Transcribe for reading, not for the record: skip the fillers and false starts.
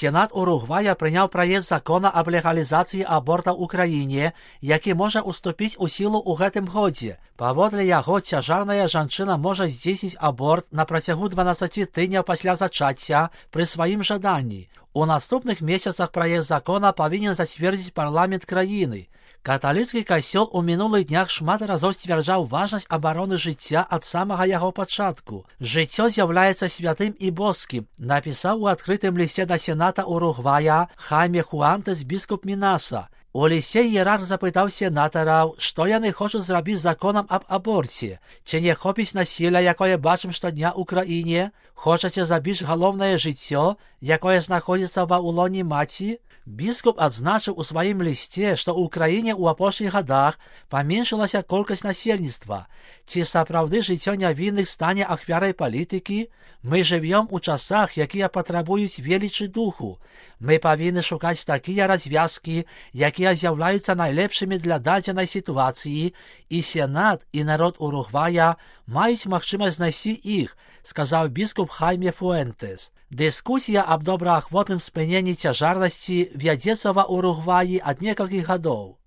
Сенат Уругвая прыняў праект закона аб легалізацыі аборта ў краіне, які можа уступіць у сілу ў гэтым годзе. Паводле яго цяжарная жанчына можа здзейсніць аборт на працягу 12 тыдняў пасля зачацця пры сваім жаданні. У наступных месяцах праект закона павінен зацвердзіць парламент краіны. Каталіцкі касцёл у мінулых днях шмат разоў сцвярджаў важнасць абароны жыцця ад самага яго пачатку. Жыццё з'яўляецца святым і боскім, напісаў у адкрытым лісце да Сената Уругвая Хайме Хуантес біскуп Мінаса. У лісце іерарх запытаў сенатараў, што яны хочуць зрабіць законам аб аборце. Ці не хопіць насілля, якое бачым штодня ў краіне? Хочаце забіць галоўнае жыццё, якое знаходзіцца ва ўлоне маці? Біскуп адзначыў у сваім лісце, што ў краіне ў апошніх гадах паменшылася колькасць насельніцтва. Ці сапраўды жыццё нявінных стане ахвярай палітыкі? Мы жывём у часах, якія патрабуюць велічы духу. Мы павінны шукаць такія развязкі, якія з'яўляюцца найлепшымі для дадзенай сітуацыі, і Сенат, і народ Уругвая маюць магчымасць знайсці іх, сказаў біскуп Хайме Фуэнтес. Дыскусія аб добраахвотным спыненні цяжарнасці вядзецца ва Уругваі ад некалькіх гадоў.